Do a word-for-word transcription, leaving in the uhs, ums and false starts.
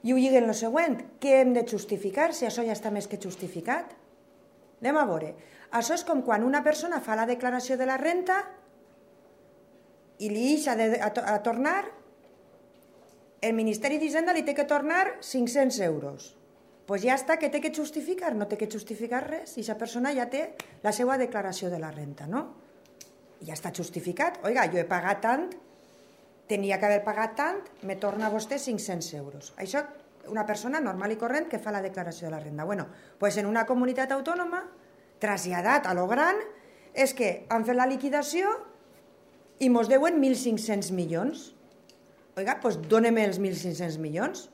I ho lliguen el següent, què hem de justificar si això ja està més que justificat? Anem a veure. Això és com quan una persona fa la declaració de la renta i li deixa de, a, a tornar, el Ministeri d'Hisenda li té que tornar cinc-cents euros. Doncs pues ja està, que té que justificar? No té que justificar res, i aquesta persona ja té la seva declaració de la renta, no? I ja està justificat. Oiga, jo he pagat tant, tenia que haver pagat tant, me torna vostè cinc-cents euros. Això, una persona normal i corrent que fa la declaració de la renda. Bueno, doncs en una comunitat autònoma, traslladat a lo gran, és que han fet la liquidació i mos deuen mil cinc-cents milions. Oiga, doncs dóneme els mil cinc-cents milions.